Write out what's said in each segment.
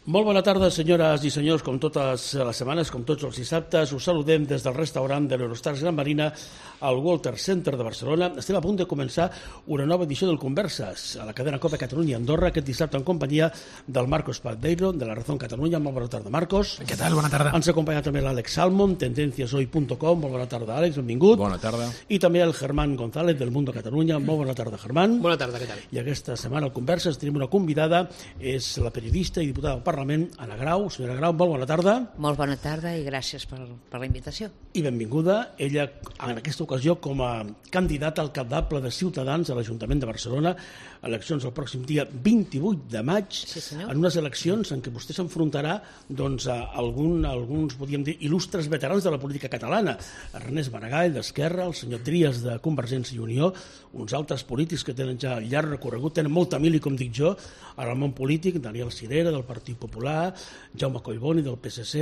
Molt bona tarda, senyores i senyors, com totes les setmanes, com tots els dissabtes. Us saludem des del restaurant de l'Eurostars Gran Marina al Walter Center de Barcelona. Estem a punt de començar una nova edició del Converses a la cadena COPE Catalunya Andorra, aquest dissabte en companyia del Marcos Paldeiro, de la Razón Catalunya. Molt bona tarda, Marcos. Què tal? Bona tarda. Ens acompanya també l'Àlex Salmon, tendenciashoy.com. Molt bona tarda, Àlex, benvingut. Bona tarda. I també el Germán González, del Mundo Catalunya. Molt bona tarda, Germán. Bona tarda, què tal? I aquesta setmana al Converses tenim una convidada, és la periodista i diputada del Parlament, Anna Grau. Senyora Grau, molt bona tarda. Molt bona tarda i gràcies per la invitació. I benvinguda, ella en aquesta ocasió com a candidata alcaldable de Ciutadans a l'Ajuntament de Barcelona, eleccions el pròxim dia 28 de maig, sí, senyor. En unes eleccions en què vostè s'enfrontarà doncs, a alguns, podríem dir, il·lustres veterans de la política catalana. Ernest Maragall, d'Esquerra, el senyor Trias, de Convergència i Unió, uns altres polítics que tenen ja llarg recorregut, tenen molta mili, com dic jo, al món polític, Daniel Cirera, del Partit Popular, Jaume Collboni, del PSC,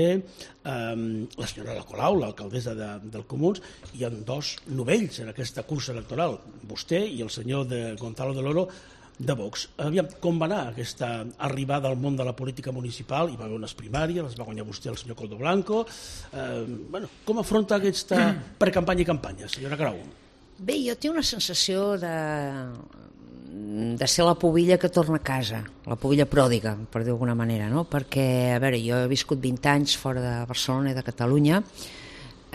la senyora Colau, l'alcaldessa del Comuns, hi ha dos novells en aquesta cursa electoral, vostè i el senyor Gonzalo de Loro, de Vox. Aviam, com va anar aquesta arribada al món de la política municipal? Hi va haver unes primàries, les va guanyar vostè el senyor Coldo Blanco. Com afronta aquesta precampanya i campanya, senyora Grau? Bé, jo tinc una sensació de ser la pubilla que torna a casa, la pubilla pròdiga, per dir d'alguna manera, no? Perquè, a veure, jo he viscut 20 anys fora de Barcelona i de Catalunya,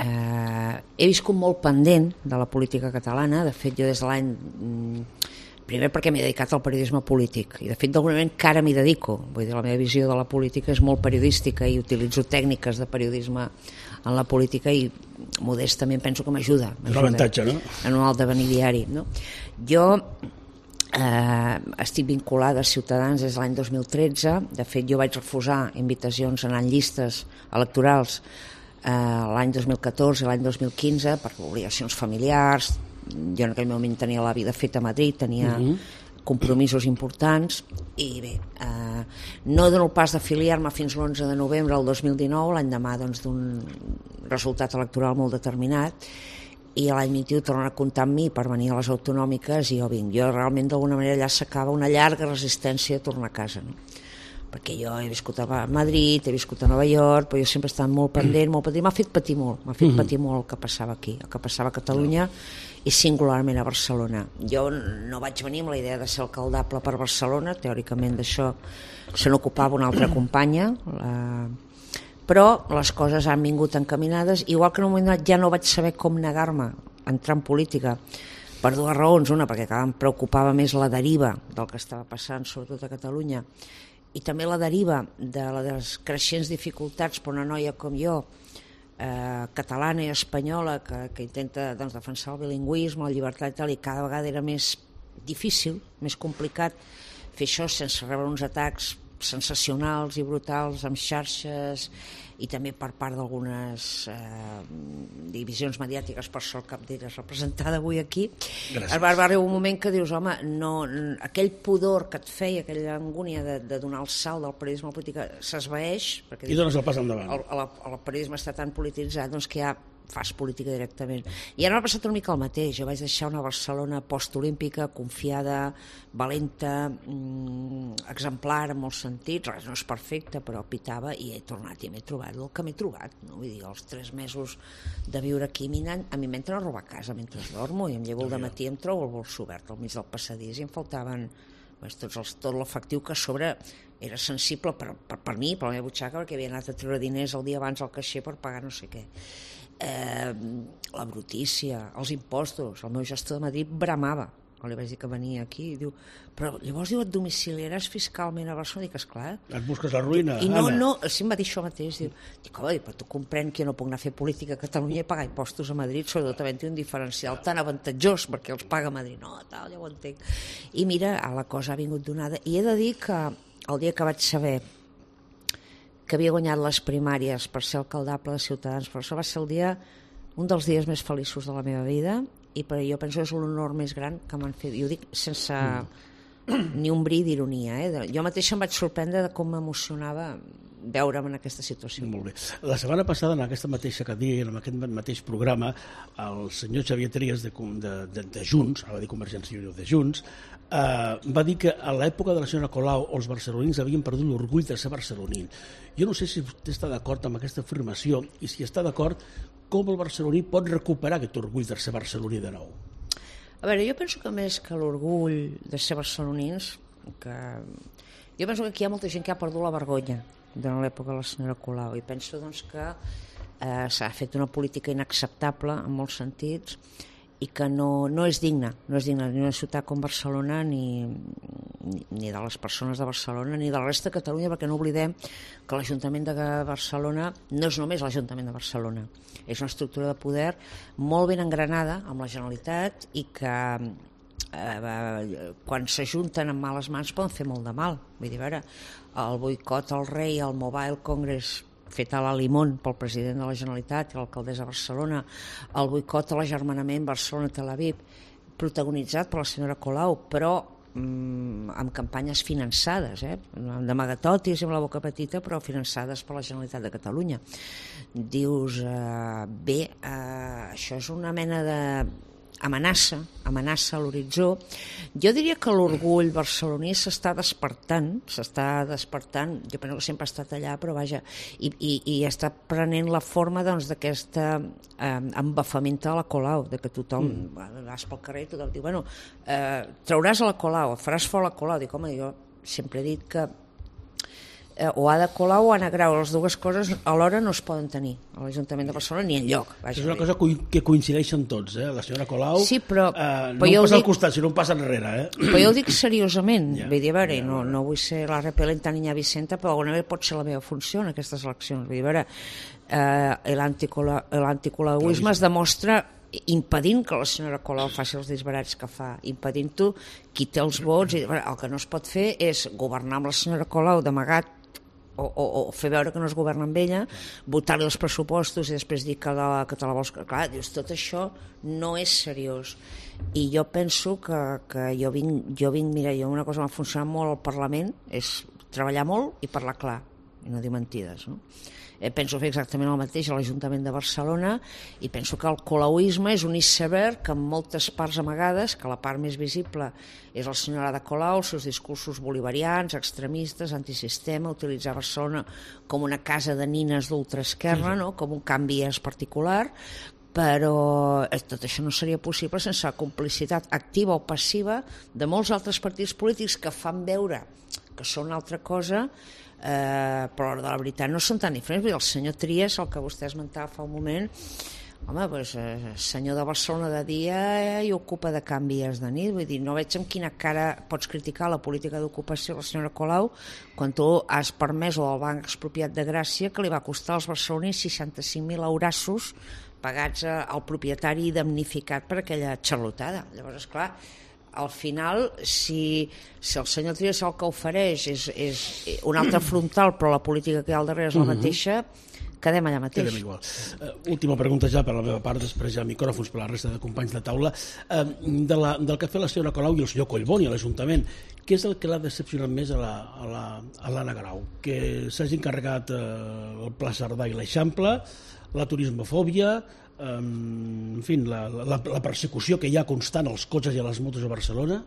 he viscut molt pendent de la política catalana, de fet jo des de l'any... Primer perquè m'he dedicat al periodisme polític i de fet d'alguna manera encara m'hi dedico, vull dir, la meva visió de la política és molt periodística i utilitzo tècniques de periodisme en la política i modestament penso que m'ajuda. És un avantatge, no? En un altavení diari, no? Jo estic vinculada a Ciutadans des de l'any 2013, de fet jo vaig refusar invitacions a anar en llistes electorals l'any 2014 i l'any 2015 per obligacions familiars. Jo en aquell moment tenia la vida feta a Madrid, tenia compromisos importants i bé, no dono el pas d'afiliar-me fins l'11 de novembre del 2019, l'any demà doncs, d'un resultat electoral molt determinat, i l'any 21 tornen a comptar amb mi per venir a les autonòmiques i jo vinc. Jo realment d'alguna manera allà s'acaba una llarga resistència a tornar a casa, no? Perquè jo he viscut a Madrid, he viscut a Nova York, però jo sempre he estat molt pendent, m'ha fet patir molt, el que passava aquí, el que passava a Catalunya i singularment a Barcelona. Jo no vaig venir amb la idea de ser alcaldable per Barcelona, teòricament d'això se n'ocupava una altra companya, però les coses han vingut encaminades, igual que en un moment donat ja no vaig saber com negar-me a entrar en política, per dues raons. Una, perquè em preocupava més la deriva del que estava passant, sobretot a Catalunya, i també la deriva de les creixents dificultats per una noia com jo, catalana i espanyola, que intenta doncs, defensar el bilingüisme, la llibertat i tal, i cada vegada era més difícil, més complicat fer això sense rebre uns atacs sensacionals i brutals amb xarxes i també per part d'algunes divisions mediàtiques, per sort cap d'elles representada avui aquí. Gràcies. Va arribar un moment que dius, home, no, aquell pudor que et feia, aquella angúnia de donar el salt del periodisme a la política s'esvaeix, perquè i dones el pas endavant. El periodisme està tan polititzat doncs, que ja fas política directament. I ara m'ha passat una mica el mateix. Jo vaig deixar una Barcelona postolímpica, confiada, valenta, exemplar en molts sentits, res no és perfecte, però pitava, i he tornat i m'he trobat el que m'he trobat, no? Vull dir, els 3 mesos de viure aquí a mi m'entren a robar a casa mentre dormo i em llevo al dematí i em trobo el bols obert al mig del passadís i em faltaven tot l'efectiu que a sobre era sensible per mi, per la meva butxaca, perquè havia anat a treure diners el dia abans al caixer per pagar no sé què. La brutícia, els impostos, el meu gestor de Madrid bramava quan li vaig dir que venia aquí, diu, però llavors diu, et domiciliaràs fiscalment a Barcelona? Dic, esclar. Et busques la ruïna, I Anna. no, sí em va dir això mateix, dic, home, però tu comprèn que jo no puc anar a fer política a Catalunya i pagar impostos a Madrid, sobretot havent-hi un diferencial tan avantatjós perquè els paga a Madrid. No, tal, ja ho entenc. I mira, la cosa ha vingut donada. I he de dir que el dia que vaig saber que havia guanyat les primàries per ser alcaldable de Ciutadans, però això va ser un dels dies més feliços de la meva vida, i per jo penso que és l'honor més gran que m'han fet. I ho dic sense ni un bri d'ironia. Jo mateixa em vaig sorprendre de com m'emocionava veure'm en aquesta situació. Molt bé. La setmana passada, en aquesta mateixa cadira, en aquest mateix programa, el senyor Xavier Trias de Junts, ara va dir Convergència i Unió de Junts, va dir que a l'època de la senyora Colau els barcelonins havien perdut l'orgull de ser barceloní. Jo no sé si vostè està d'acord amb aquesta afirmació i si està d'acord, com el barceloní pot recuperar aquest orgull de ser barceloní de nou? A veure, jo penso que més que l'orgull de ser barcelonins, jo penso que aquí hi ha molta gent que ha perdut la vergonya durant l'època de la senyora Colau i penso doncs, que s'ha fet una política inacceptable en molts sentits i que no és digna ni una ciutat com Barcelona ni de les persones de Barcelona ni de la resta de Catalunya, perquè no oblidem que l'Ajuntament de Barcelona no és només l'Ajuntament de Barcelona, és una estructura de poder molt ben engranada amb la Generalitat i que quan s'ajunten amb males mans poden fer molt de mal. Vull dir, a veure, el boicot al rei, al Mobile Congress fet a la Limón pel president de la Generalitat i l'alcaldessa de Barcelona, el boicot a l'agermanament Barcelona-Tel Aviv, protagonitzat per la senyora Colau, però amb campanyes finançades, d'amagatotis i amb la boca petita, però finançades per la Generalitat de Catalunya. Dius, això és una mena de amenaça a l'horitzó. Jo diria que l'orgull barceloní s'està despertant, jo penso que sempre ha estat allà, però vaja, i està prenent la forma d'aquesta embafamenta de la Colau, de que tothom vas pel carrer i tothom diu, bueno, trauràs a la Colau, faràs fora la Colau. Dic, home, jo sempre he dit que o Ada Colau o Anna Grau, les dues coses alhora no es poden tenir a l'Ajuntament de Barcelona ni enlloc. És una cosa que coincideixen tots, la senyora Colau sí, però no passa al costat, sinó passa enrere. Però jo ho dic seriosament, vull dir, a veure, no vull ser la repel·lenta niña Vicenta, però d'alguna manera pot ser la meva funció en aquestes eleccions. Vull dir, a veure, l'anticolauisme es demostra impedint que la senyora Colau faci els disbarats que fa, impedint-ho qui té els vots. El que no es pot fer és governar amb la senyora Colau d'amagat o fer veure que no es governa amb ella, votar-li els pressupostos i després dir que te la vols... Clar, dius, tot això no és seriós. I jo penso que jo vinc, mira, una cosa que m'ha funcionat molt al Parlament és treballar molt i parlar clar, i no dir mentides, no? Penso fer exactament el mateix a l'Ajuntament de Barcelona i penso que el colauisme és un iceberg amb moltes parts amagades, que la part més visible és el senyor Ada Colau, els seus discursos bolivarians, extremistes, antisistema, utilitzar Barcelona com una casa de nines d'ultraesquerra, no? Com un canvi particular, però tot això no seria possible sense la complicitat activa o passiva de molts altres partits polítics que fan veure que són una altra cosa, però de la veritat no són tan diferents. El senyor Trias, el que vostè esmentava fa un moment, home, doncs, senyor de Barcelona de dia i ocupa de Can Vies de nit. Vull dir, no veig amb quina cara pots criticar la política d'ocupació de la senyora Colau quan tu has permès o el Banc Expropiat de Gràcia, que li va costar als barcelonins 65.000 eurassos pagats al propietari damnificat per aquella xarlotada. Llavors, esclar, al final, si el senyor Trias el que ofereix és un altre frontal, però la política que hi ha al darrere és la mateixa, quedem allà mateix. Quedem igual. Última pregunta ja per la meva part, després ja micròfons per la resta de companys de taula. Del que ha fet la senyora Colau i el senyor Collboni a l'Ajuntament, què és el que l'ha decepcionat més a l'Anna Grau? Que s'hagi encarregat el Pla Cerdà i l'Eixample, la turismofòbia, en fi, la persecució que hi ha constant als cotxes i a les motos a Barcelona?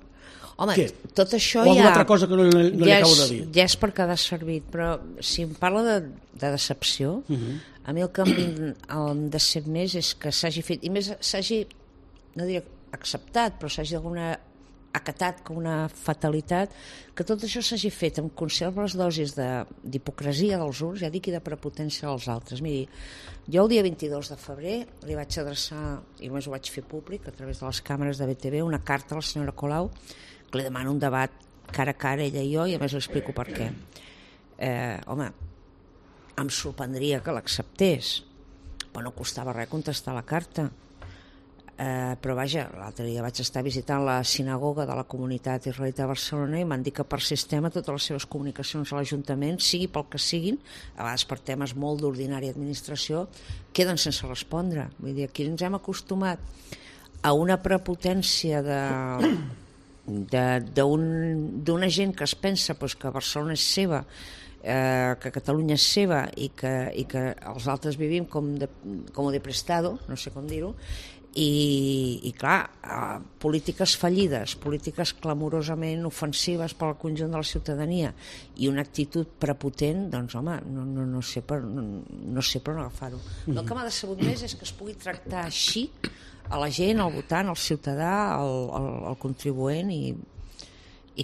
Home, què? Tot això o alguna altra cosa que no li acabo de dir? Ja és per quedar servit, però si em parla de decepció, a mi el que em decep més és que s'hagi fet, i més s'hagi, no diria acceptat, però s'hagi acatat com una fatalitat, que tot això s'hagi fet amb conserves dosis d'hipocresia dels uns, ja dic, i de prepotència dels altres. Miri, jo el dia 22 de febrer li vaig adreçar, i només ho vaig fer públic a través de les càmeres de BTV, una carta a la senyora Colau que li demano un debat cara a cara, ella i jo, i a més li explico per què. Home, em sorprendria que l'acceptés, però no costava res contestar la carta. Però vaja, l'altre dia vaig estar visitant la sinagoga de la comunitat israelita de Barcelona i m'han dit que per sistema totes les seves comunicacions a l'Ajuntament, sigui pel que siguin, a vegades per temes molt d'ordinària administració, queden sense respondre. Vull dir, aquí ens hem acostumat a una prepotència d'una gent que es pensa que Barcelona és seva, que Catalunya és seva i que els altres vivim com de prestado, no sé com dir-ho, i clar, polítiques fallides, polítiques clamorosament ofensives per al conjunt de la ciutadania i una actitud prepotent, doncs home, no sé per on agafar-ho. El que m'ha decebut més és que es pugui tractar així a la gent, al votant, al ciutadà, al contribuent i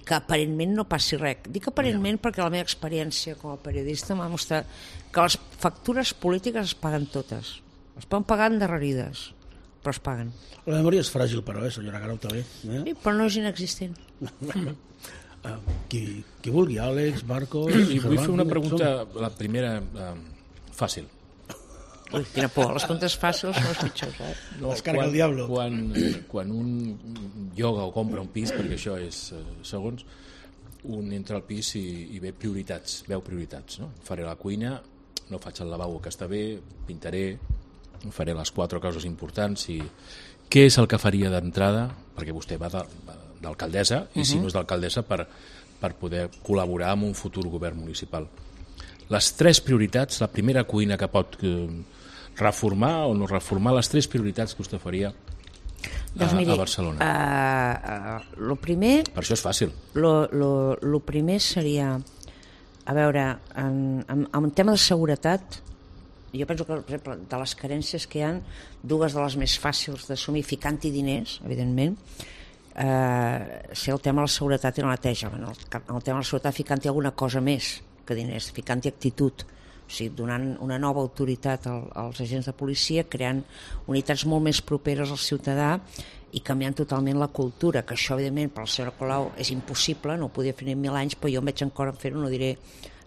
que aparentment no passi res. Dic aparentment perquè la meva experiència com a periodista m'ha mostrat que les factures polítiques es paguen totes, es poden pagar endarrerides, però es paguen. La memòria és fràgil, però, senyora Garau, també. Sí, però no és inexistent. Qui vulgui, Àlex, Marcos... I vull fer una pregunta, la primera, fàcil. Ui, quina por, les preguntes fàcils són les pitjors, No, descarga el diablo. Quan un lloga o compra un pis, perquè això és segons, un entra al pis i veu prioritats. No? Faré la cuina, no faig el lavabo que està bé, pintaré, faré les 4 coses importants i què és el que faria d'entrada, perquè vostè va d'alcaldessa i si no és d'alcaldessa per poder col·laborar amb un futur govern municipal. Les 3 prioritats, la primera cuina que pot reformar o no reformar, les 3 prioritats que vostè faria a Barcelona. Lo primer... Per això és fàcil. Lo primer seria, a veure, en tema de seguretat, jo penso que, per exemple, de les carències que hi ha, 2 de les més fàcils d'assumir, ficant-hi diners, evidentment, ser el tema de la seguretat i la neteja. En el tema de la seguretat, ficant-hi alguna cosa més que diners, ficant-hi actitud, o sigui, donant una nova autoritat als agents de policia, creant unitats molt més properes al ciutadà i canviant totalment la cultura, que això, evidentment, per la senyora Colau és impossible, no ho podia fer ni en 1000 anys, però jo em veig encara en fer-ho, no diré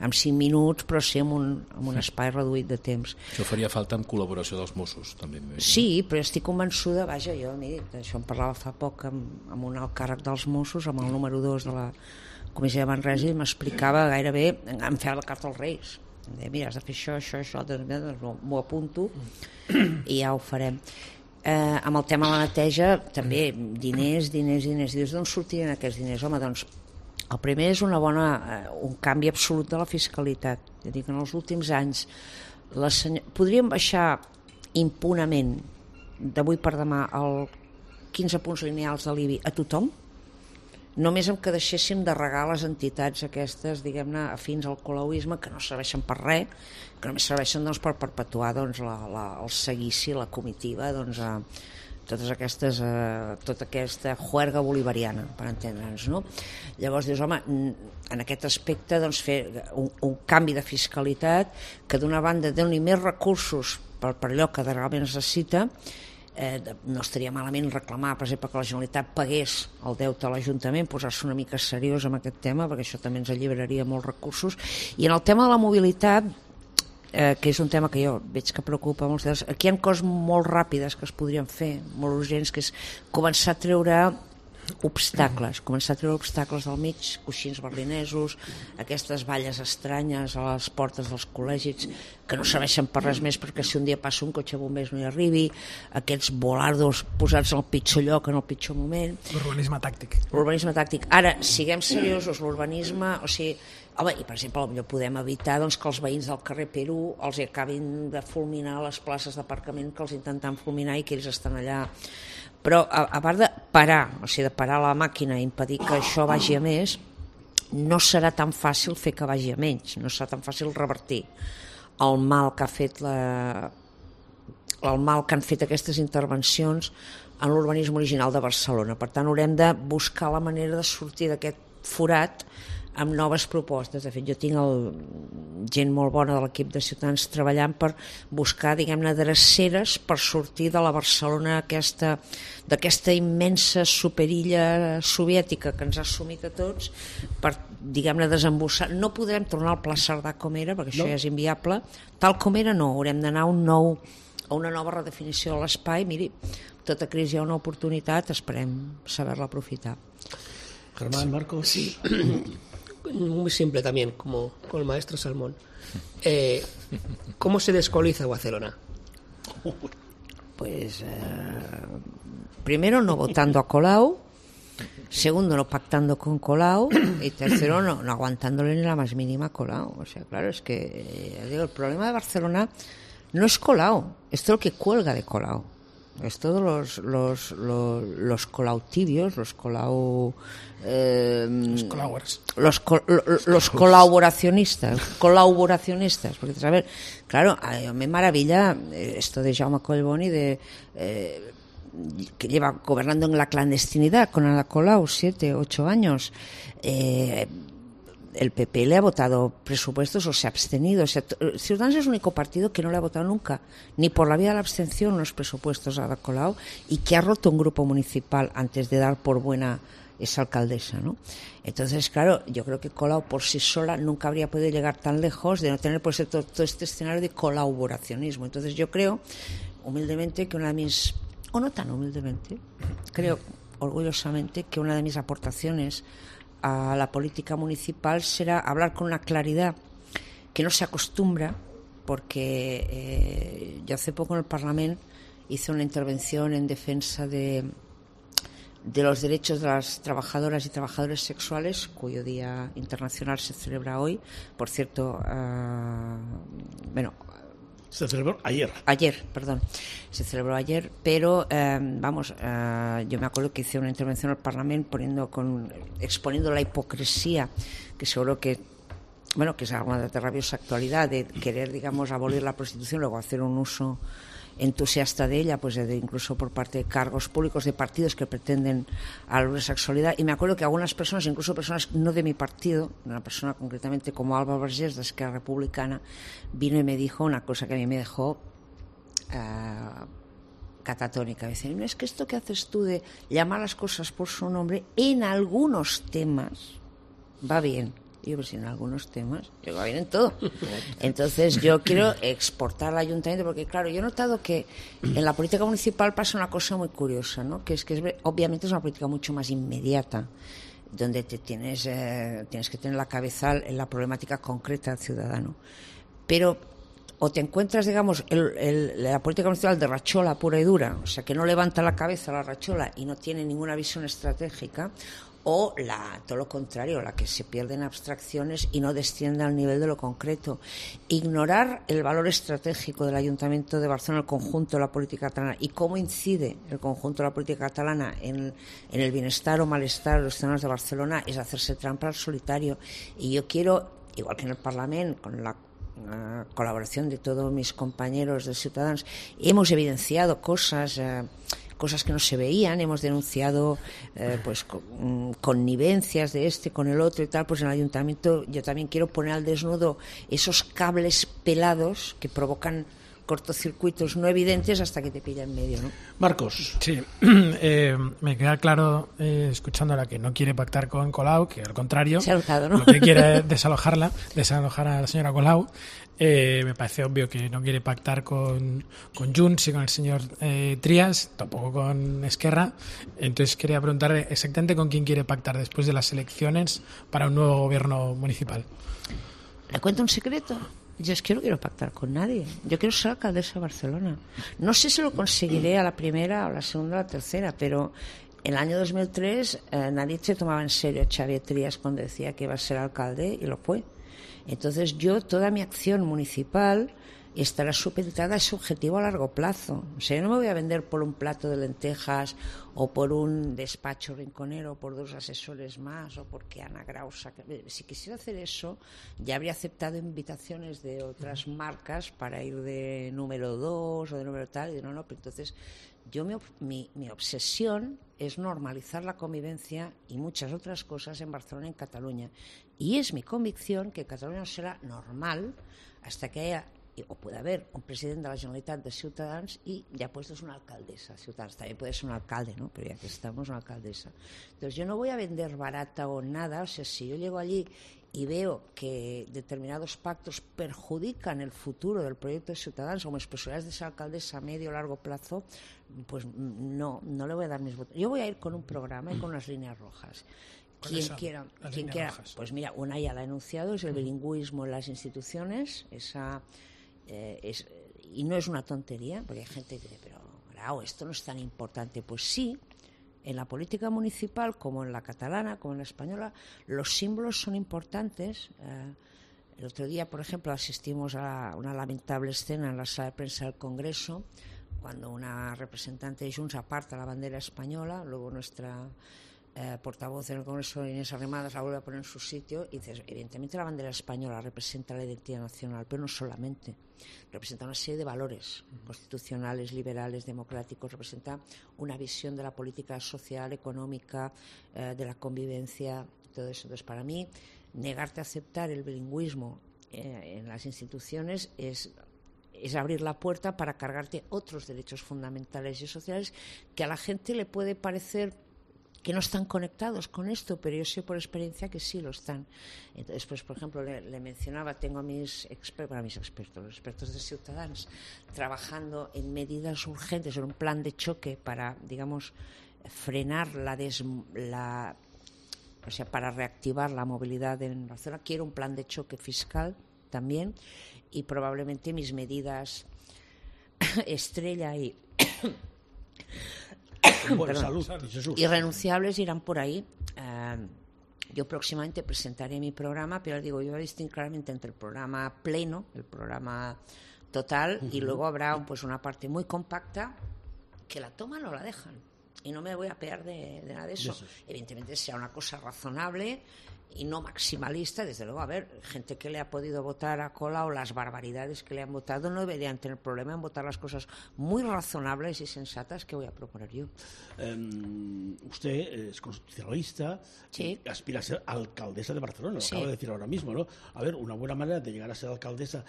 en 5 minuts, però sí en un espai reduït de temps. Això faria falta amb col·laboració dels Mossos, també. Sí, però estic convençuda, vaja, jo d'això en parlava fa poc amb un alt càrrec dels Mossos, amb el número 2 de la Comissió de Manresa, i m'explicava gairebé, em feia la carta als Reis. Em deia, mira, has de fer això, doncs m'ho apunto i ja ho farem. Amb el tema de la neteja, també, diners, d'on sortirien aquests diners? Home, doncs, el primer és un canvi absolut de la fiscalitat. És a dir, que en els últims anys podríem baixar impunament d'avui per demà el 15 punts lineals de l'IBI a tothom, només amb que deixéssim de regar les entitats aquestes, diguem-ne, afins al colauisme, que no serveixen per res, que només serveixen per perpetuar el seguici, la comitiva, tota aquesta juerga bolivariana, per entendre'ns, no? Llavors dius, home, en aquest aspecte fer un canvi de fiscalitat que d'una banda doni més recursos per allò que realment es necessita. No estaria malament reclamar, per exemple, que la Generalitat pagués el deute a l'Ajuntament, posar-se una mica seriós amb aquest tema, perquè això també ens alliberaria molts recursos. I en el tema de la mobilitat, que és un tema que jo veig que preocupa molts, aquí hi ha coses molt ràpides que es podrien fer, molt urgents, que és començar a treure obstacles del mig, coixins berlinesos, aquestes valles estranyes a les portes dels col·legis que no serveixen per res més, perquè si un dia passa un cotxe bombers no hi arribi, aquests volardos posats en el pitjor lloc en el pitjor moment. L'urbanisme tàctic. Ara, siguem seriosos, l'urbanisme, o sigui, home, i per exemple, potser podem evitar que els veïns del carrer Perú els acabin de fulminar les places d'aparcament que els intenten fulminar i que ells estan allà. Però a part de parar, o sigui, de parar la màquina i impedir que això vagi a més, no serà tan fàcil fer que vagi a menys, no serà tan fàcil revertir el mal que han fet aquestes intervencions en l'urbanisme original de Barcelona. Per tant, haurem de buscar la manera de sortir d'aquest forat amb noves propostes. De fet, jo tinc gent molt bona de l'equip de Ciutadans treballant per buscar, diguem-ne, dreceres per sortir de la Barcelona d'aquesta immensa superilla soviètica que ens ha assumit a tots, per, diguem-ne, desembossar. No podrem tornar al Pla Cerdà com era, perquè això ja és inviable. Tal com era, no. Haurem d'anar a una nova redefinició de l'espai. Miri, tota crisi hi ha una oportunitat, esperem saber-la aprofitar. Germán, Marcos. Sí. Muy simple también, como con el maestro Salmón. ¿Cómo se descoloniza Barcelona? Pues primero no votando a Colau, Segundo, no pactando con Colau. Y tercero, no aguantándole ni la más mínima a Colau. O sea, claro, es que digo, el problema de Barcelona no es Colau, es todo lo que cuelga de Colau. Es todos los Colau tibios, los Colau... los colaboracionistas. Porque, a ver, claro, a mí me maravilla esto de Jaume Collboni que lleva gobernando en la clandestinidad con Ada Colau 7, 8 años. El PP le ha votado presupuestos o se ha abstenido. Ciudadanos es el único partido que no le ha votado nunca, ni por la vía de la abstención, los presupuestos a Ada Colau, y que ha roto un grupo municipal antes de dar por buena esa alcaldesa, ¿no? Entonces, claro, yo creo que Colau por sí sola nunca habría podido llegar tan lejos de no tener pues todo este escenario de colaboracionismo. Entonces yo creo, humildemente, que una de mis... o no tan humildemente, creo orgullosamente que una de mis aportaciones a la política municipal será hablar con una claridad que no se acostumbra, porque yo hace poco en el Parlamento hice una intervención en defensa de los derechos de las trabajadoras y trabajadores sexuales, cuyo Día Internacional se celebra hoy. Por cierto, se celebró ayer. Se celebró ayer, pero yo me acuerdo que hice una intervención al Parlamento exponiendo la hipocresía, que seguro que es alguna de rabiosa actualidad, de querer, digamos, abolir la prostitución, luego hacer un uso entusiasta de ella, pues incluso por parte de cargos públicos de partidos que pretenden abolir la sexualidad. Y me acuerdo que algunas personas, incluso personas no de mi partido, una persona concretamente como Alba Vergés de Esquerra Republicana, vino y me dijo una cosa que a mí me dejó catatónica. Me decía, es que esto que haces tú de llamar las cosas por su nombre en algunos temas va bien. Y yo, pero si en algunos temas, yo va bien en todo. Entonces yo quiero exportar al ayuntamiento, porque claro, yo he notado que en la política municipal pasa una cosa muy curiosa, ¿no? Que obviamente es una política mucho más inmediata, donde tienes que tener la cabeza en la problemática concreta del ciudadano. Pero o te encuentras, digamos, la política municipal de rachola pura y dura, o sea, que no levanta la cabeza la rachola y no tiene ninguna visión estratégica, o todo lo contrario, la que se pierde en abstracciones y no desciende al nivel de lo concreto. Ignorar el valor estratégico del Ayuntamiento de Barcelona, el conjunto de la política catalana, y cómo incide el conjunto de la política catalana en el bienestar o malestar de los ciudadanos de Barcelona, es hacerse trampa al solitario. Y yo quiero, igual que en el Parlamento, con la colaboración de todos mis compañeros de Ciudadanos, hemos evidenciado cosas que no se veían, hemos denunciado connivencias de con el otro y tal. Pues en el ayuntamiento yo también quiero poner al desnudo esos cables pelados que provocan cortocircuitos no evidentes hasta que te pilla en medio, ¿no? Marcos. Sí, me queda claro, escuchándola, que no quiere pactar con Colau, que al contrario, ¿no? Lo que quiere es desalojar a la señora Colau. Me parece obvio que no quiere pactar con Junts y con el señor Trias, tampoco con Esquerra. Entonces quería preguntarle exactamente con quién quiere pactar después de las elecciones para un nuevo gobierno municipal. ¿Le cuento un secreto? Yo es que no quiero pactar con nadie. Yo quiero ser alcaldesa de Barcelona. No sé si lo conseguiré a la primera, a la segunda o a la tercera, pero en el año 2003 nadie se tomaba en serio a Xavier Trias cuando decía que iba a ser alcalde, y lo fue. Entonces toda mi acción municipal estará supeditada a ese objetivo a largo plazo. O sea, yo no me voy a vender por un plato de lentejas o por un despacho rinconero o por 2 asesores más o porque Ana Grausa... Si quisiera hacer eso, ya habría aceptado invitaciones de otras marcas para ir de número 2 o de número tal, y no, pero entonces mi obsesión es normalizar la convivencia y muchas otras cosas en Barcelona y en Cataluña. Y es mi convicción que Cataluña no será normal hasta que haya, o puede haber, un presidente de la Generalitat de Ciutadans y ya puesto es una alcaldesa. Ciutadans también puede ser un alcalde, ¿no? Pero ya que estamos, una alcaldesa. Entonces yo no voy a vender barata o nada. O sea, si yo llego allí y veo que determinados pactos perjudican el futuro del proyecto de Ciutadans como posibilidades de ser alcaldesa a medio o largo plazo, pues no le voy a dar mis votos. Yo voy a ir con un programa y con unas líneas rojas. Quien quiera, pues mira, una ya la he enunciado, es el bilingüismo en las instituciones. Y no es una tontería, porque hay gente que dice, pero Grau, esto no es tan importante. Pues sí, en la política municipal, como en la catalana, como en la española, los símbolos son importantes. El otro día, por ejemplo, asistimos a una lamentable escena en la sala de prensa del Congreso, cuando una representante de Junts aparta la bandera española, luego nuestra portavoz en el Congreso, Inés Arrimadas, la vuelve a poner en su sitio y dices, evidentemente la bandera española representa la identidad nacional, pero no solamente, representa una serie de valores constitucionales, liberales, democráticos, representa una visión de la política social, económica, de la convivencia, todo eso. Entonces, para mí, negarte a aceptar el bilingüismo en las instituciones es abrir la puerta para cargarte otros derechos fundamentales y sociales que a la gente le puede parecer que no están conectados con esto, pero yo sé por experiencia que sí lo están. Entonces, pues, por ejemplo, le mencionaba, tengo a mis expertos, los expertos de Ciutadans, trabajando en medidas urgentes, en un plan de choque para, digamos, frenar para reactivar la movilidad en la zona. Quiero un plan de choque fiscal también, y probablemente mis medidas estrella y salud, irrenunciables irán por ahí. Yo próximamente presentaré mi programa, pero digo, yo voy a distinguir claramente entre el programa pleno, el programa total, y luego habrá una parte muy compacta que la toman o la dejan. Y no me voy a pegar de nada de eso. Evidentemente sea una cosa razonable y no maximalista. Desde luego, a ver, gente que le ha podido votar a Colau, las barbaridades que le han votado, no deberían tener problema en votar las cosas muy razonables y sensatas que voy a proponer yo. Usted es constitucionalista, sí, y aspira a ser alcaldesa de Barcelona, sí. Lo acaba de decir ahora mismo, ¿no? A ver, una buena manera de llegar a ser alcaldesa,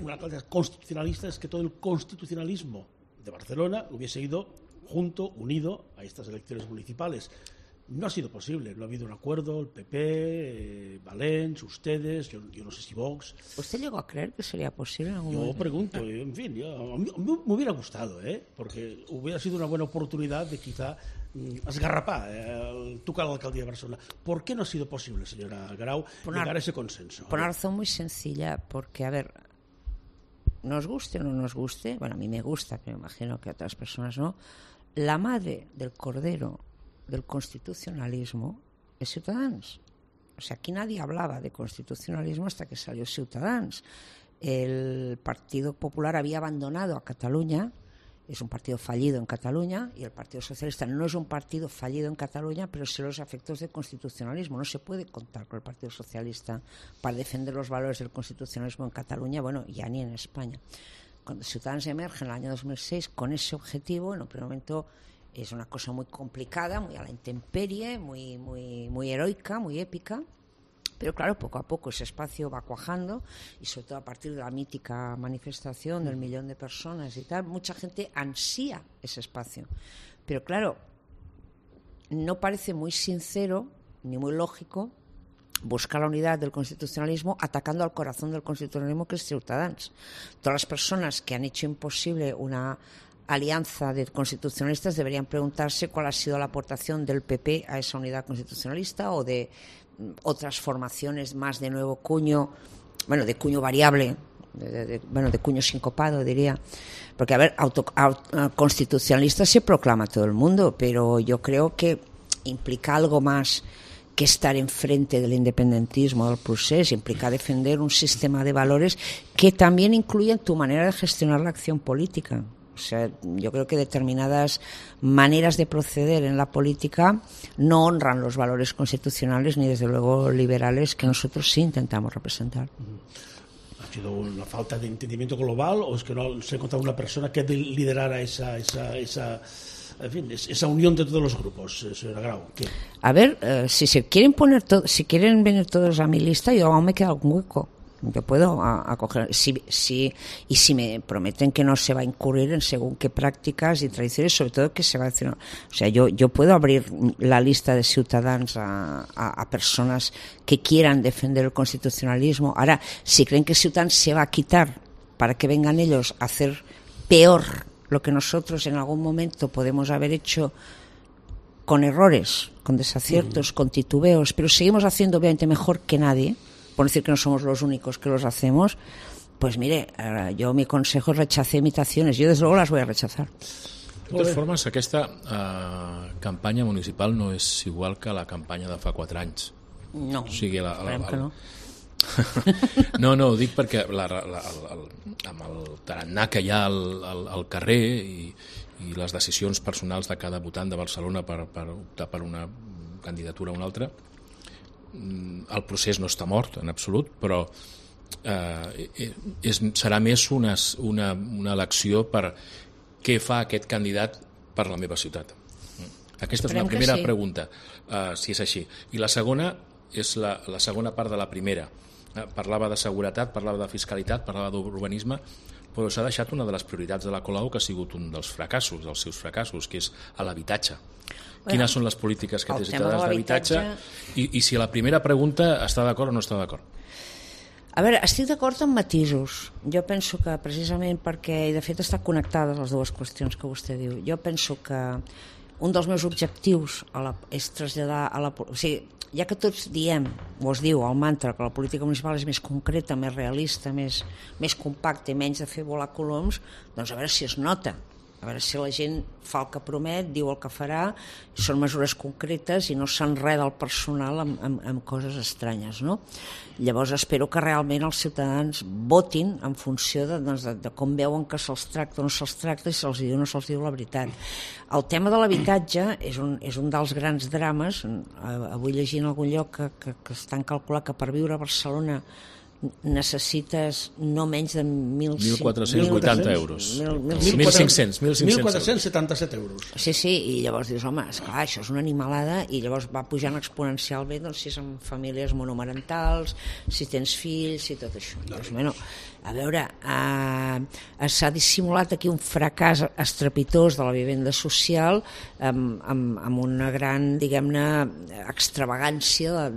una alcaldesa constitucionalista, es que todo el constitucionalismo de Barcelona hubiese ido unido a estas elecciones municipales. No ha sido posible, no ha habido un acuerdo, el PP, Valens, ustedes, yo no sé si Vox. ¿Usted llegó a creer que sería posible en algún Yo momento? pregunto, en fin, a mí me hubiera gustado, porque hubiera sido una buena oportunidad de quizá esgarrapar, tocar la alcaldía de Barcelona. ¿Por qué no ha sido posible, señora Grau, llegar a ese consenso? Por una razón muy sencilla, porque, a ver, nos guste o no nos guste, bueno, a mí me gusta, pero me imagino que a otras personas no, la madre del cordero del constitucionalismo es Ciutadans. O sea, aquí nadie hablaba de constitucionalismo hasta que salió Ciutadans. El Partido Popular había abandonado a Cataluña, es un partido fallido en Cataluña, y el Partido Socialista no es un partido fallido en Cataluña, pero sí los efectos del constitucionalismo. No se puede contar con el Partido Socialista para defender los valores del constitucionalismo en Cataluña, bueno, ya ni en España. Cuando Ciutadans emerge en el año 2006 con ese objetivo, en un primer momento es una cosa muy complicada, muy a la intemperie, muy heroica, muy épica. Pero claro, poco a poco ese espacio va cuajando, y sobre todo a partir de la mítica manifestación del 1 millón de personas y tal, mucha gente ansía ese espacio. Pero claro, no parece muy sincero ni muy lógico buscar la unidad del constitucionalismo atacando al corazón del constitucionalismo, que es Ciutadans. Todas las personas que han hecho imposible una alianza de constitucionalistas deberían preguntarse cuál ha sido la aportación del PP a esa unidad constitucionalista, o de otras formaciones más de nuevo cuño, bueno, de cuño variable, de cuño sincopado, diría. Porque, a ver, constitucionalista se proclama todo el mundo, pero yo creo que implica algo más que estar enfrente del independentismo, del procés, implica defender un sistema de valores que también incluyen tu manera de gestionar la acción política. O sea, yo creo que determinadas maneras de proceder en la política no honran los valores constitucionales ni, desde luego, liberales, que nosotros sí intentamos representar. ¿Ha sido una falta de entendimiento global, o es que no se ha encontrado una persona que liderara esa unión de todos los grupos, señora Grau? ¿Qué? A ver, si quieren venir todos a mi lista, yo aún me queda algún hueco. Yo puedo acoger, y si me prometen que no se va a incurrir en según qué prácticas y tradiciones, sobre todo que se va a decir, o sea, yo puedo abrir la lista de Ciutadans a personas que quieran defender el constitucionalismo. Ahora, si creen que Ciutadans se va a quitar para que vengan ellos a hacer peor lo que nosotros en algún momento podemos haber hecho, con errores, con desaciertos, con titubeos, pero seguimos haciendo obviamente mejor que nadie, por decir que no somos los únicos que los hacemos, pues mire, yo mi consejo es rechace imitaciones. Yo desde luego las voy a rechazar. De totes formes, aquesta campanya municipal no és igual que la campanya de fa 4 anys. No, O sigui, esperem que no. No, ho dic perquè amb el tarannà que hi ha al carrer i les decisions personals de cada votant de Barcelona per optar per una candidatura o una altra, el procés no està mort en absolut, però serà més una elecció per què fa aquest candidat per la meva ciutat. Aquesta és una primera pregunta, si és així. I la segona és la segona part de la primera. Parlava de seguretat, parlava de fiscalitat, parlava d'urbanisme, però s'ha deixat una de les prioritats de la Colau que ha sigut un dels fracassos, dels seus fracassos, que és l'habitatge. Quines són les polítiques que té Ciutadans d'habitatge? I si la primera pregunta està d'acord o no està d'acord? A veure, estic d'acord amb matisos. Jo penso que precisament perquè, i de fet estan connectades les dues qüestions que vostè diu, jo penso que un dels meus objectius és traslladar a la... O sigui, ja que tots diem, o es diu el mantra, que la política municipal és més concreta, més realista, més compacta i menys de fer volar coloms, doncs a veure si es nota. A veure si la gent fa el que promet, diu el que farà, són mesures concretes i no s'enreda el personal amb coses estranyes, no? Llavors espero que realment els ciutadans votin en funció de com veuen que se'ls tracta o no se'ls tracta, i se'ls diu o no se'ls diu la veritat. El tema de l'habitatge és un dels grans drames. Avui llegint en algun lloc que estan calculant que per viure a Barcelona necessites no menys de 1.480 euros. 1.500. 1.477 euros. Sí, i llavors dius, home, esclar, això és una animalada, i llavors va pujant exponencialment, doncs, si és en famílies monomarentals, si tens fills i tot això. Doncs, bueno, a veure, s'ha dissimulat aquí un fracàs estrepitós de la vivenda social amb una gran, diguem-ne, extravagància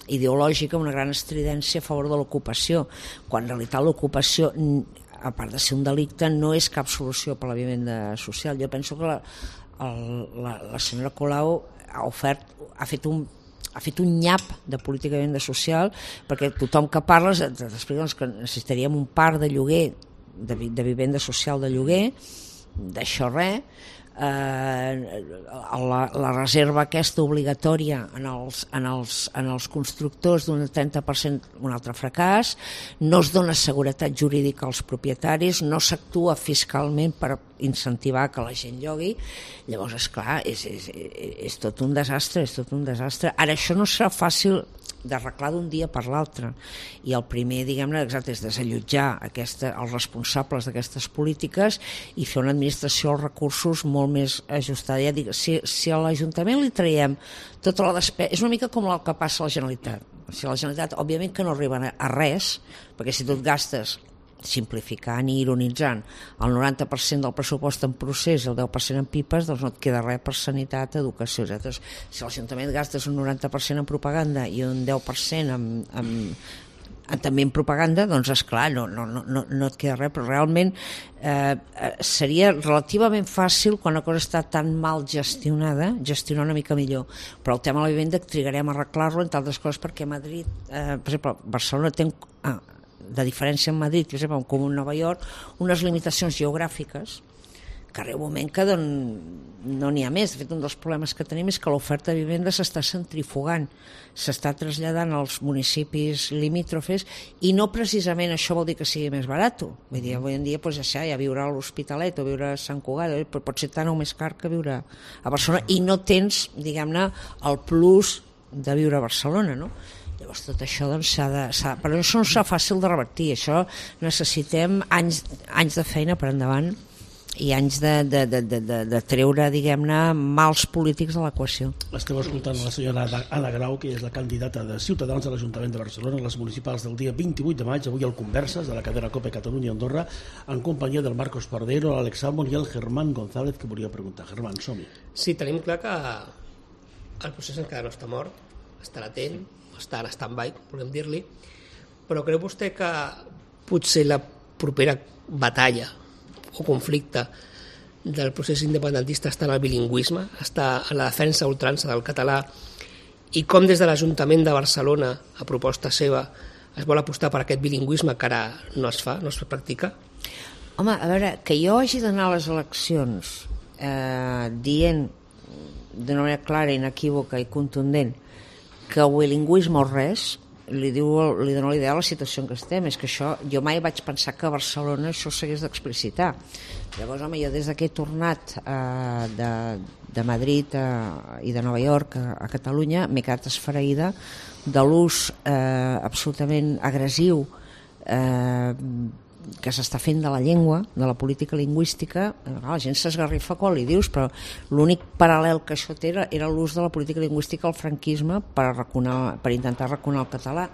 ideològica, una gran estridència a favor de l'ocupació, quan en realitat l'ocupació, a part de ser un delicte, no és cap solució per a la vivenda social. Jo penso que la senyora Colau ha fet un nyap de política de vivenda social, perquè tothom que parles t'explica que necessitaríem un parc de lloguer, de vivenda social de lloguer, d'això res. La reserva aquesta obligatòria en els constructors d'un 30%, un altre fracàs, no es dona seguretat jurídica als propietaris, no s'actua fiscalment per incentivar que la gent llogui. Llavors, esclar, és tot un desastre, Ara, això no serà fàcil d'arreglar d'un dia per l'altre, i el primer, diguem-ne, exacte, és desallotjar els responsables d'aquestes polítiques i fer una administració dels recursos molt més ajustada. Ja dic, si a l'Ajuntament li traiem tota la despesa, és una mica com el que passa a la Generalitat. Si a la Generalitat, òbviament que no arriben a res, perquè si tu et gastes, simplificant i ironitzant, el 90% del pressupost en procés i el 10% en pipes, doncs no et queda res per sanitat, educació, etc. Si l'Ajuntament gastes un 90% en propaganda i un 10% també en propaganda, doncs esclar, no et queda res, però realment seria relativament fàcil, quan una cosa està tan mal gestionada, gestionar una mica millor. Però el tema de la vivenda trigarem a arreglar-lo, entre altres coses perquè Madrid, per exemple, Barcelona té de diferència amb Madrid, per exemple, com en Nova York, unes limitacions geogràfiques que arriba un moment que no n'hi ha més. De fet, un dels problemes que tenim és que l'oferta de vivenda s'està centrifugant, s'està traslladant als municipis limítrofes, i no precisament això vol dir que sigui més barat. Vull dir, avui en dia ja viure a l'Hospitalet o viure a Sant Cugat pot ser tan o més car que viure a Barcelona, i no tens, diguem-ne, el plus de viure a Barcelona, no? Llavors tot això doncs, però això no serà fàcil de revertir. Això necessitem anys de feina per endavant i anys de treure, diguem-ne, mals polítics de l'equació. Esteu escoltant la senyora Ada Grau, que és la candidata de Ciutadans a l'Ajuntament de Barcelona a les municipals del dia 28 de maig, avui al Converses de la cadena COPE Catalunya Andorra, en companyia del Marcos Pardero, l'Àlex Salmon i el Germán González, que volia preguntar. Germán, som-hi. Sí, tenim clar que el procés encara no està mort, està latent, està en stand-by, volem dir-li, però creu vostè que potser la propera batalla o conflicte del procés independentista està en el bilingüisme, està en la defensa ultrança del català, i com des de l'Ajuntament de Barcelona, a proposta seva, es vol apostar per aquest bilingüisme que ara no es fa, no es practica? Home, a veure, que jo hagi d'anar a les eleccions dient d'una manera clara, inequívoca i contundent que el bilingüisme o res, li dona la idea de la situació en què estem. És que això, jo mai vaig pensar que a Barcelona això s'hagués d'explicitar. Llavors, home, jo des que he tornat de Madrid i de Nova York a Catalunya m'he quedat esfereïda de l'ús absolutament agressiu que s'està fent de la llengua, de la política lingüística. La gent s'esgarrifa quan li dius, però l'únic paral·lel que això té era l'ús de la política lingüística al franquisme per intentar arraconar el català.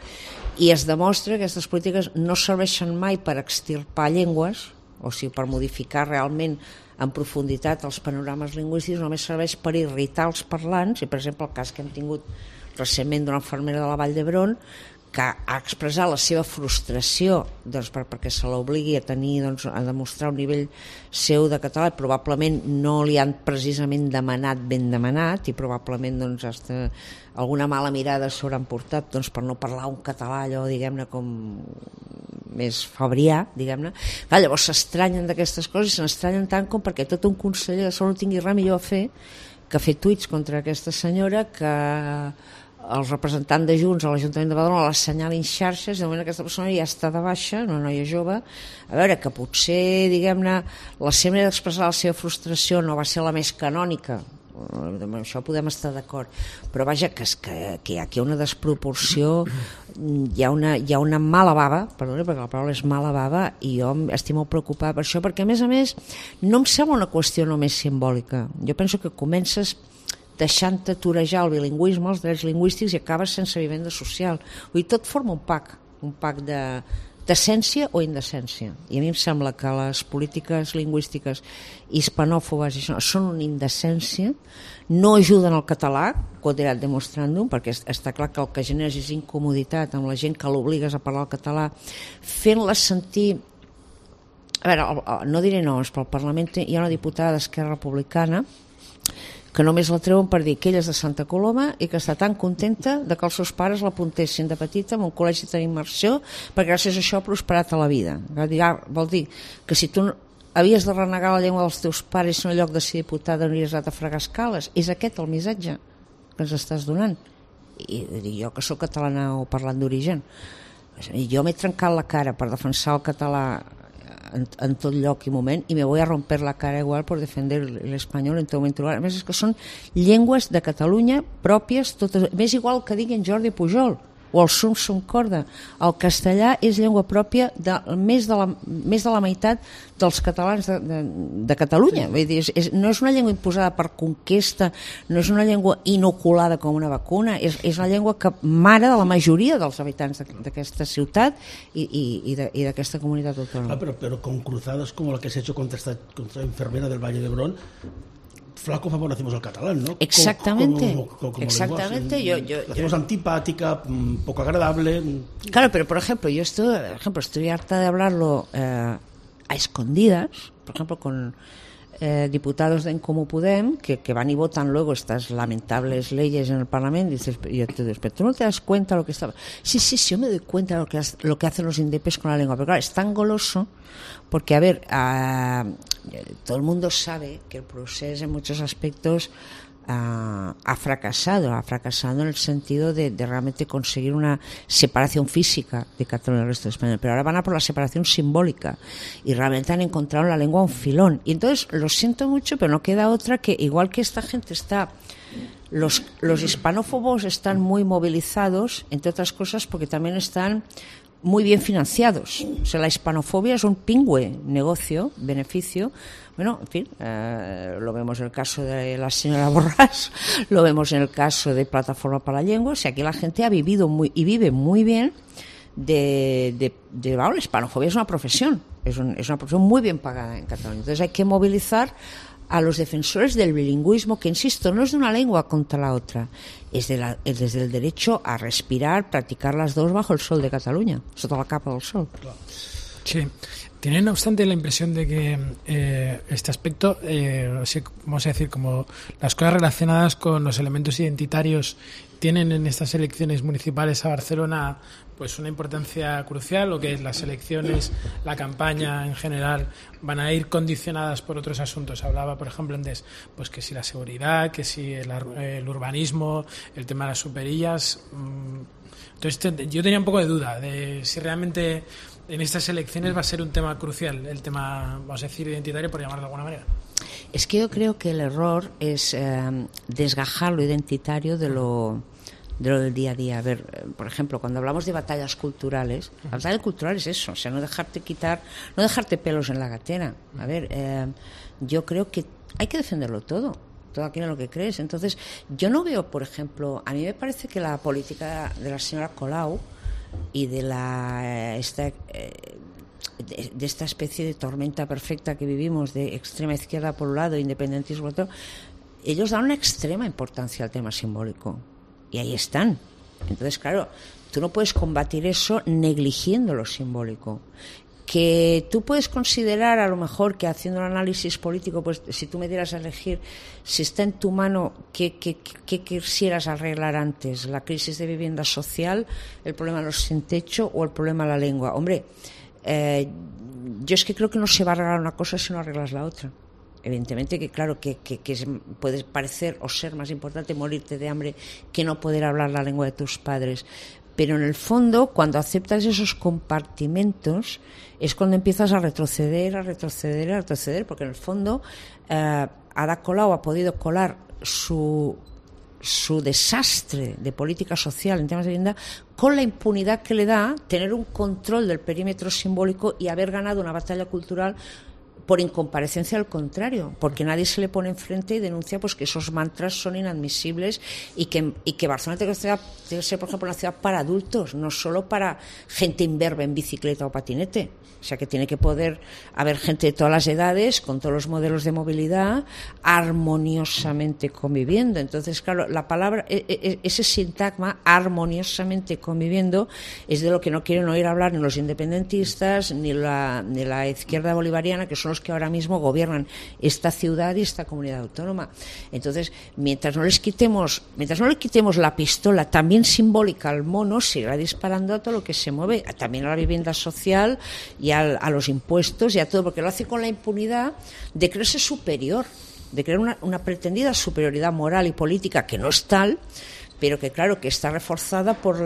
I es demostra que aquestes polítiques no serveixen mai per extirpar llengües, o sigui, per modificar realment en profunditat els panorames lingüístics, només serveix per irritar els parlants. I, per exemple, el cas que hem tingut recentment d'una infermera de la Vall d'Hebron que ha expressat la seva frustració perquè se l'obligui a demostrar un nivell seu de català, i probablement no li han precisament ben demanat, i probablement alguna mala mirada s'hauran portat per no parlar un català allò, diguem-ne, com més fabrià, diguem-ne. Llavors s'estranyen d'aquestes coses, i se n'estranyen tant com perquè tot un conseller de salut tingui res millor a fer que fer tuits contra aquesta senyora, que el representant de Junts a l'Ajuntament de Badalona l'assenyalin xarxes. De moment aquesta persona ja està de baixa, una noia jove. A veure, que potser, diguem-ne, la seva manera d'expressar la seva frustració no va ser la més canònica, amb això podem estar d'acord, però vaja, que hi ha aquí una desproporció, hi ha una mala bava, perdona, perquè la paraula és mala bava, i jo estic molt preocupada per això, perquè a més no em sembla una qüestió només simbòlica. Jo penso que comences deixant-te torejar el bilingüisme, els drets lingüístics, i acabes sense vivenda social. Vull dir, tot forma un pack d'essència o indecència. I a mi em sembla que les polítiques lingüístiques hispanòfobes són una indecència, no ajuden al català, quotidian demostrandum, perquè està clar que el que generes és incomoditat amb la gent que l'obligues a parlar el català, fent-la sentir... A veure, no diré noms, però al Parlament hi ha una diputada d'Esquerra Republicana que només la treuen per dir que ella és de Santa Coloma i que està tan contenta de que els seus pares l'apuntessin de petita en un col·legi d'immersió, perquè gràcies a això ha prosperat a la vida. Vol dir que si tu havies de renegar la llengua dels teus pares en lloc de ser diputada no hauries anat a fregar escales. És aquest el missatge que ens estàs donant. I jo, que soc catalana o parlant d'origen, jo m'he trencat la cara per defensar el català en tot lloc i moment, i me voy a romper la cara igual por defender el español en tot moment. A més, és que són llengües de Catalunya pròpies, totes. M'és igual que diguin Jordi Pujol o el Sum Corda. El castellà és llengua pròpia de més de la meitat dels catalans de Catalunya. Vull dir, no és una llengua imposada per conquesta, no és una llengua inoculada com una vacuna, és una llengua que mare de la majoria dels habitants d'aquesta ciutat i d'aquesta comunitat autònoma. Pero con cruzadas como la que se ha hecho contra esta enfermera del Valle d'Hebron, flaco favor hacemos al catalán, ¿no? Exactamente. Como Exactamente. Lo hacemos antipática, poco agradable. Claro, pero por ejemplo, yo estoy harta de hablarlo a escondidas, por ejemplo, con diputados de En Comú Podem que van y votan luego estas lamentables leyes en el Parlamento, y dices, pero tú no te das cuenta lo que está... Sí, yo me doy cuenta de lo que hacen los indepes con la lengua, pero claro, es tan goloso porque, a ver, todo el mundo sabe que el proceso en muchos aspectos ha fracasado en el sentido de realmente conseguir una separación física de Cataluña del resto de España, pero ahora van a por la separación simbólica y realmente han encontrado en la lengua un filón, y entonces lo siento mucho, pero no queda otra que, igual que esta gente está... Los hispanófobos están muy movilizados, entre otras cosas porque también están muy bien financiados. O sea, la hispanofobia es un pingüe negocio, beneficio. Bueno, en fin, lo vemos en el caso de la señora Borràs, lo vemos en el caso de Plataforma para la Llengua. O sea, aquí la gente ha vivido y vive muy bien bueno, la hispanofobia es una profesión, es una profesión muy bien pagada en Cataluña. Entonces hay que movilizar a los defensores del bilingüismo, que, insisto, no es de una lengua contra la otra, es desde el derecho a respirar, practicar las dos bajo el sol de Catalunya, sota la capa del sol. Clar. Sí. ¿Tiene, no obstante, la impresión de que este aspecto, vamos a decir, como las cosas relacionadas con los elementos identitarios tienen en estas elecciones municipales a Barcelona pues una importancia crucial, o que las elecciones, la campaña en general van a ir condicionadas por otros asuntos? Hablaba, por ejemplo, antes, pues que si la seguridad, que si el urbanismo, el tema de las superillas. Entonces yo tenía un poco de duda de si realmente en estas elecciones va a ser un tema crucial, el tema, vamos a decir, identitario, por llamarlo de alguna manera. Es que yo creo que el error es desgajar lo identitario de lo del día a día. A ver, por ejemplo, cuando hablamos de batallas culturales, la batalla cultural es eso, o sea, no dejarte pelos en la gatera. A ver, yo creo que hay que defenderlo todo aquello en lo que crees. Entonces, yo no veo, por ejemplo, a mí me parece que la política de la señora Colau y de esta especie de tormenta perfecta que vivimos, de extrema izquierda por un lado, independentismo por otro, ellos dan una extrema importancia al tema simbólico. Y ahí están. Entonces, claro, tú no puedes combatir eso negligiendo lo simbólico. Que tú puedes considerar, a lo mejor, que haciendo un análisis político, pues si tú me dieras a elegir si está en tu mano qué quisieras arreglar antes, la crisis de vivienda social, el problema de los sin techo o el problema de la lengua. Hombre, yo es que creo que no se va a arreglar una cosa si no arreglas la otra. Evidentemente que claro que puede parecer o ser más importante morirte de hambre que no poder hablar la lengua de tus padres, pero en el fondo cuando aceptas esos compartimentos es cuando empiezas a retroceder, porque en el fondo Ada Colau ha podido colar su desastre de política social en temas de vivienda con la impunidad que le da tener un control del perímetro simbólico y haber ganado una batalla cultural por incomparecencia al contrario, porque nadie se le pone enfrente y denuncia pues que esos mantras son inadmisibles y que Barcelona debe ser, por ejemplo, una ciudad para adultos, no solo para gente imberbe en bicicleta o patinete. O sea, que tiene que poder haber gente de todas las edades, con todos los modelos de movilidad, armoniosamente conviviendo. Entonces, claro, la palabra, ese sintagma, armoniosamente conviviendo, es de lo que no quieren oír hablar ni los independentistas, ni la izquierda bolivariana, que son los que ahora mismo gobiernan esta ciudad y esta comunidad autónoma. Entonces, mientras no le quitemos la pistola también simbólica al mono, seguirá disparando a todo lo que se mueve, también a la vivienda social y a los impuestos y a todo, porque lo hace con la impunidad de creerse superior, de creer una pretendida superioridad moral y política que no es tal, pero que claro que está reforzada por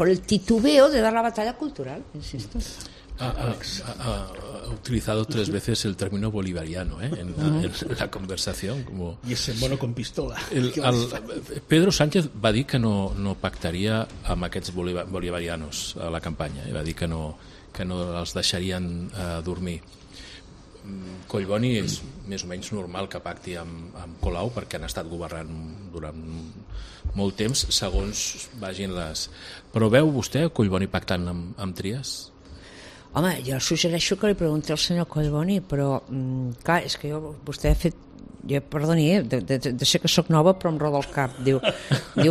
el titubeo de dar la batalla cultural, insisto. Ha utilizado 3 veces el término bolivariano en la conversación. I ese mono con pistola. Pedro Sánchez va dir que no pactaria amb aquests bolivarianos a la campanya, va dir que no els deixarien dormir. Collboni és més o menys normal que pacti amb Colau perquè han estat governant durant molt temps, segons vagin les... Però veu vostè Collboni pactant amb Trias? Home, jo suggereixo que li pregunti al senyor Collboni, però clar, és que vostè ha fet... Perdoni, de ser que sóc nova, però em roda el cap. Diu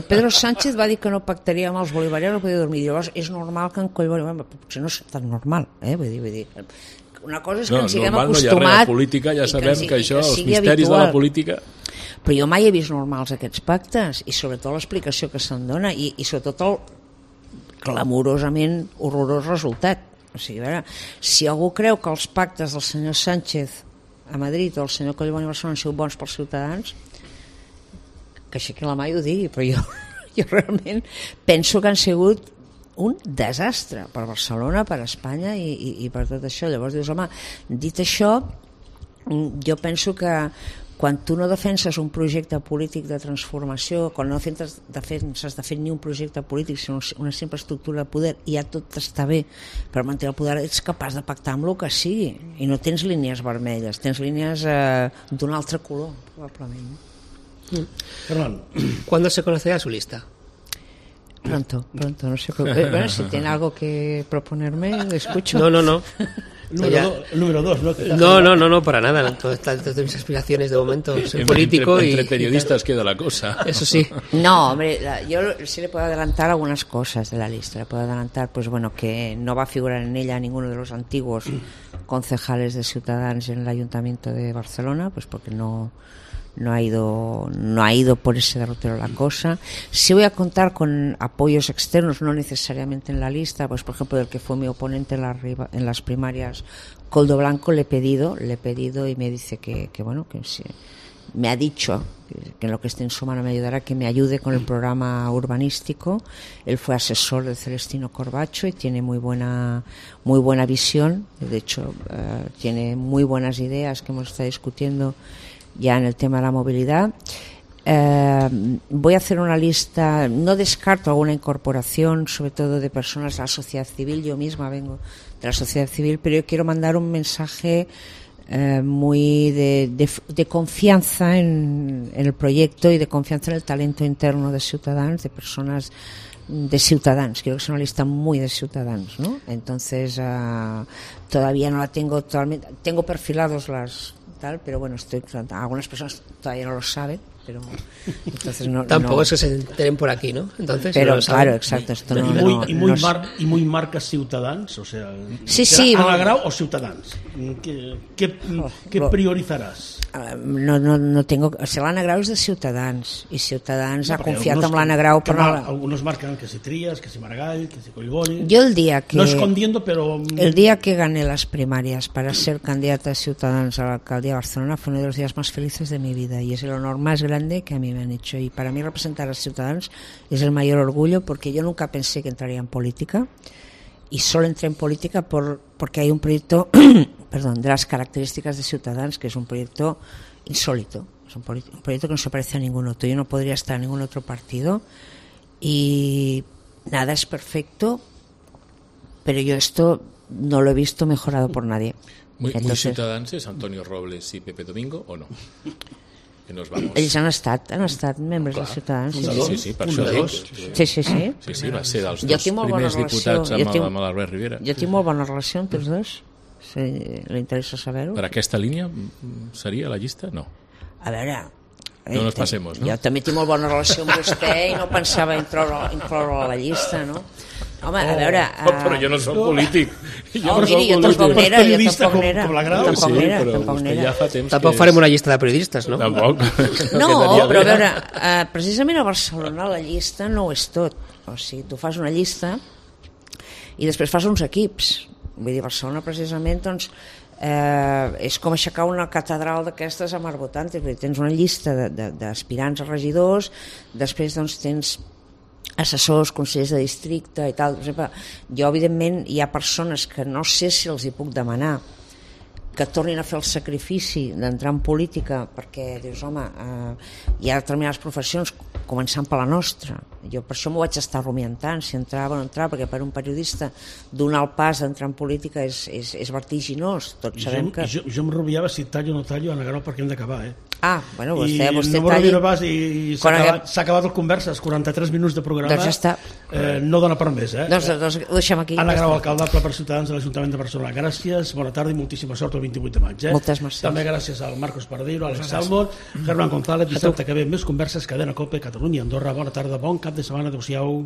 Pedro Sánchez va dir que no pactaria amb els bolivarians, no podia dormir. Llavors és normal que en Collboni... Potser no és tan normal, vull dir... Una cosa és que ens siguem acostumat... No hi ha res, la política, ja sabem que això, els misteris de la política... Però jo mai he vist normals aquests pactes, i sobretot l'explicació que se'n dona, i sobretot el clamorosament horrorós resultat. O sigui, a veure, si algú creu que els pactes del senyor Sánchez a Madrid o el senyor Collboni a Barcelona han sigut bons pels ciutadans, que aixequi la mà i ho digui, però jo realment penso que han sigut un desastre per Barcelona, per Espanya i per tot això. Llavors dius, home, dit això, jo penso que quan tu no defenses un projecte polític de transformació, quan no defenses de fer ni un projecte polític, sinó una simple estructura de poder, i ja tot està bé per mantenir el poder, ets capaç de pactar amb el que sigui, i no tens línies vermelles, tens línies d'un altre color, probablement. Fernando, ¿cuándo se conocerá su lista? Pronto, no sé. Bueno, si tiene algo que proponerme, lo escucho. No. El número 2, ¿no? No, para nada. Todas mis aspiraciones de momento, ser político entre periodistas queda la cosa. Eso sí. No, hombre, yo sí le puedo adelantar algunas cosas de la lista. Le puedo adelantar, pues bueno, que no va a figurar en ella ninguno de los antiguos concejales de Ciutadans en el Ayuntamiento de Barcelona, pues porque no ha ido por ese derrotero la cosa. Sí voy a contar con apoyos externos, no necesariamente en la lista, pues por ejemplo del que fue mi oponente en las primarias, Koldo Blanco, le he pedido y me dice que bueno, que sí, me ha dicho que en lo que esté en su mano me ayudará, que me ayude con el programa urbanístico. Él fue asesor de Celestino Corbacho y tiene muy buena visión. De hecho, tiene muy buenas ideas que hemos estado discutiendo ya en el tema de la movilidad. Voy a hacer una lista, no descarto alguna incorporación, sobre todo de personas de la sociedad civil. Yo misma vengo de la sociedad civil, pero yo quiero mandar un mensaje muy de confianza en el proyecto y de confianza en el talento interno de Ciutadans, de personas de Ciutadans. Quiero que sea una lista muy de Ciutadans, ¿no? Entonces todavía no la tengo totalmente, tengo perfilados pero bueno, algunas personas todavía no lo saben, pero entonces tampoco es que se enteren por aquí, ¿no? Entonces, pero claro, exacto, esto muy marca Ciutadans, o sea, sí, Ana Grau o Ciutadans, ¿qué priorizaràs? No tengo, o sea, l'Anna Grau és de Ciutadans i Ciutadans ha confiat en l'Anna Grau algunos marcan que si Trías, que si Maragall, que si Collboni. Yo el día que no escondiendo, pero el día que gané las primarias para ser candidata de Ciutadans a la alcaldía de Barcelona fue uno de los días más felices de mi vida y es el honor más grande que a mí me han hecho, y para mí representar a Ciutadans es el mayor orgullo, porque yo nunca pensé que entraría en política y solo entré en política porque hay un proyecto de las características de Ciutadans, que es un proyecto insólito, es un proyecto que no se parece a ningún otro. Yo no podría estar en ningún otro partido y nada es perfecto, pero yo esto no lo he visto mejorado por nadie. Muy Ciutadans és Antonio Robles i Pepe Domingo, o no? Que nos vamos. Ells han estat membres de Ciutadans. Sí, per això dic. Sí, va ser dels dos primers diputats amb l'Albert Rivera. Jo tinc molt bona relació amb tots dos. Si li interessa saber-ho. Per aquesta línia seria la llista? No. A veure... No nos passemos, no? Jo també tinc molt bona relació amb vostè i no pensava incloure a la llista, no? Home, a veure... Però jo no soc polític. Jo tampoc n'era. Com la Grau. Tampoc n'era. Tampoc farem una llista de periodistes, no? Tampoc. No, però a veure, precisament a Barcelona la llista no ho és tot. O sigui, tu fas una llista i després fas uns equips. Vull dir, Barcelona precisament, doncs, és com aixecar una catedral d'aquestes amb arbotantes. Vull dir, tens una llista d'aspirants a regidors, després doncs tens assessors, consellers de districte i tal. Per exemple, jo evidentment hi ha persones que no sé si els hi puc demanar que tornin a fer el sacrifici d'entrar en política, perquè dius, home, hi ha determinades professions, començant per la nostra. Jo per això m'ho vaig estar rumiant tant, si entrava o no entrava, perquè per un periodista donar el pas d'entrar en política és vertiginós. Tots sabem que... Jo em rubiava si tallo o no tallo, Ana Grau, perquè hem d'acabar, bueno, vostè no talli... I s'ha acabat el converses, 43 minuts de programa. Doncs ja està. No dona per més, Doncs ho deixem aquí. Ana Grau, alcaldable per Ciutadans de l'Ajuntament de Barcelona. Gràcies, bona tarda i moltíssima sort el 28 de maig. Moltes mercès. També gràcies al Marcos Pardeiro, a Alex Salmon, Germán González, dissabte que ve més converses, Cadena COPE, Catalunya, Andorra. Bona tarda, bon cap de setmana, adéu-siau.